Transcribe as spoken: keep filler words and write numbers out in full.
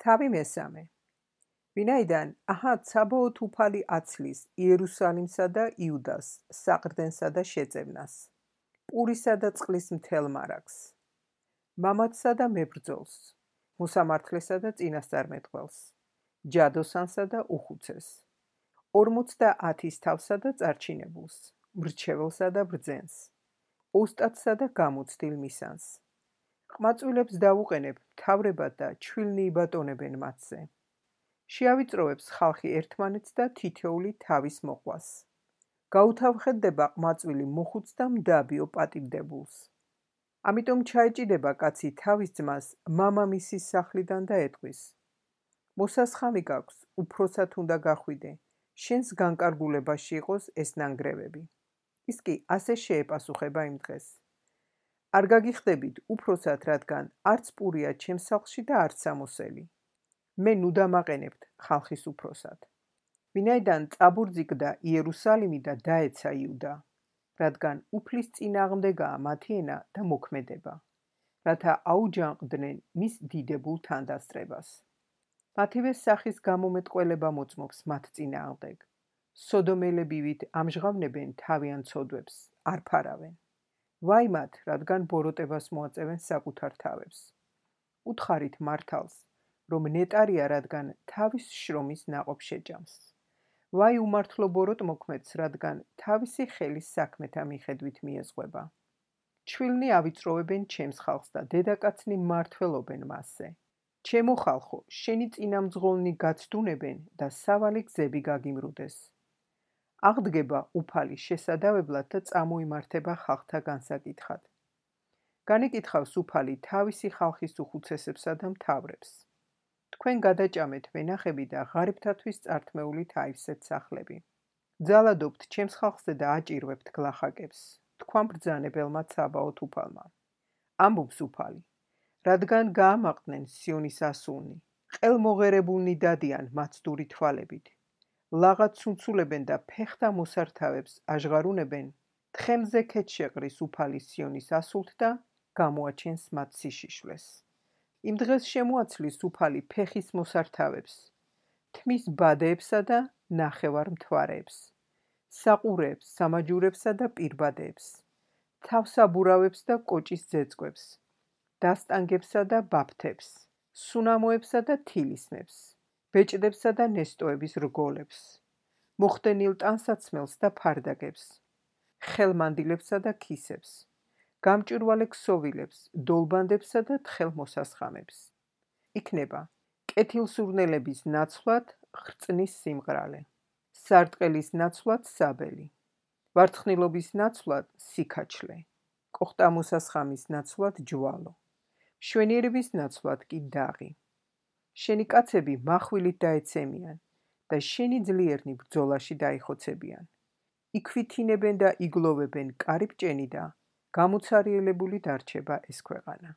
თავი მესამე. ვინაიდან აჰად საბოლოოდ უფალი აცლის იერუსალიმსა და იუდას საყრდენსა და შეწევნას, პურისა და წყლის მთელ მარაგს, მამაცსა და მებრძოლს, მოსამართლესა და წინასწარმეტყველს, ჯადოსანსა და უხუცეს, ორმოცდაათის თავსა და წარჩინებულს, მრჩეველსა და ბრძენს, ოსტატსა და გამოცდილ მისანს. ყმაწვილებს დავუყენებ მთავრებად და ჩვილნი იბატონებენ მათზე. შეავიწროვებს ხალხი ერთმანეთს და თითოეული თავის მოყვას. გაუთავხედდება ყმაწვილი მოხუც და მდაბიო პატივდებულს. ამიტომ ჩაეჭიდება კაცი თავის ძმას მამამისის სახლიდან და ეტყვის: მოსასხამი გაქვს, უფროსად უნდა გახვიდე, შენს განკარგულებაში იყოს ეს ნანგრევები. ის კი ასე შეეპასუხება იმ დღეს: არ გაგიხდებით უფროსად, რადგან არც პურია ჩემს სახლში და არც სამოსელი. მე ნუ დამაყენებთ ხალხის უფროსად. ვინაიდან წაბურძიგდა იერუსალიმი და დაეცა იუდა, რადგან უფლის წინააღმდეგაა მათი ენა და მოქმედება, რათა აუჯანყდნენ მის დიდებულ თანდასწრებას. მათივე სახის გამომეტყველება მოწმობს მათ წინააღმდეგ. სოდომელებივით ამჟღავნებენ თავიან ცოდვებს, არ ფარავენ. ვაი მათ, რადგან ბოროტებას მოაწევენ საკუთარ თავებს. უთხარით მართალს, რომ ნეტარია, რადგან თავის შრომის ნაყოფ შეჭამს. ვაი უმართლო ბოროტმოქმედს, რადგან თავისი ხელის საქმეთა მიხედვით მიეზღვება. ჩვილნი ავიწროვებენ ჩემს ხალხს და დედაკაცნი მმართველობენ მასზე. ჩემო ხალხო, შენი წინამძღოლნი გაცდუნებენ და სავალი გზები გაგიმრუდეს. აღდგება უფალი შესადავებლად და წამოიმართება ხალხთა განსაკითხად. განეკითხავს უფალი თავისი ხალხის უხუცესებსა და მთავრებს. თქვენ გადაჭამეთ ვენახები და ღარიბთათვის წართმეულით აივსეთ სახლები. ძალადობთ ჩემს ხალხზე და აჭირვებთ გლახაკებს, თქვან ბრძანებელმა ცაბაოთ უფალმა. ამბობს უფალი, რადგან გაამაყდნენ სიონის ასულნი, ყელმოღერებულნი დადიან მაცდური თვალებით. ლაღად ცუნცულებენ და ფეხთა მოსართავებს აჟღარუნებენ, თხემზე ქეთშეყრის უფალი სიონის ასულთ და გამოაჩენს მათ სიშიშვლეს. იმ დღეს შემოაცლის უფალი ფეხის მოსართავებს, თმის ბადეებსა და ნახევარ მთვარეებს, საყურეებს, სამაჯურებსა და პირბადეებს, თავსაბურავებს და კოჭის ძეწკვებს, დასტანგებსა და ბაფთებს, სუნამოებსა და თილისნებს, ბეჭდებსა და ნესტოების რგოლებს, მოხდენილ ტანსაცმელს და ფარდაგებს, ხელმანდილებსა და ქისებს, გამჭვირვალე ქსოვილებს, დოლბანდებსა და თხელმოსასხამებს. იქნება კეთილსურნელების ნაცვლად ხრწნის სიმღრალე, სარტყელის ნაცვლად საბელი, ვარცხნილობის ნაცვლად სიქაჩლე, კოხტამოსასხამის ნაცვლად ჯვალო, მშვენიერების ნაცვლად კი დაღი. შენი კაცები מחვილით დაეცემიან და შენი ძლიერნი ბრძოლაში დაიხოცებიან. იქვითინებენ და იგლოვებენ კარიბჭენი და გამოცარიელებული დარჩება ეს ქვეყანა.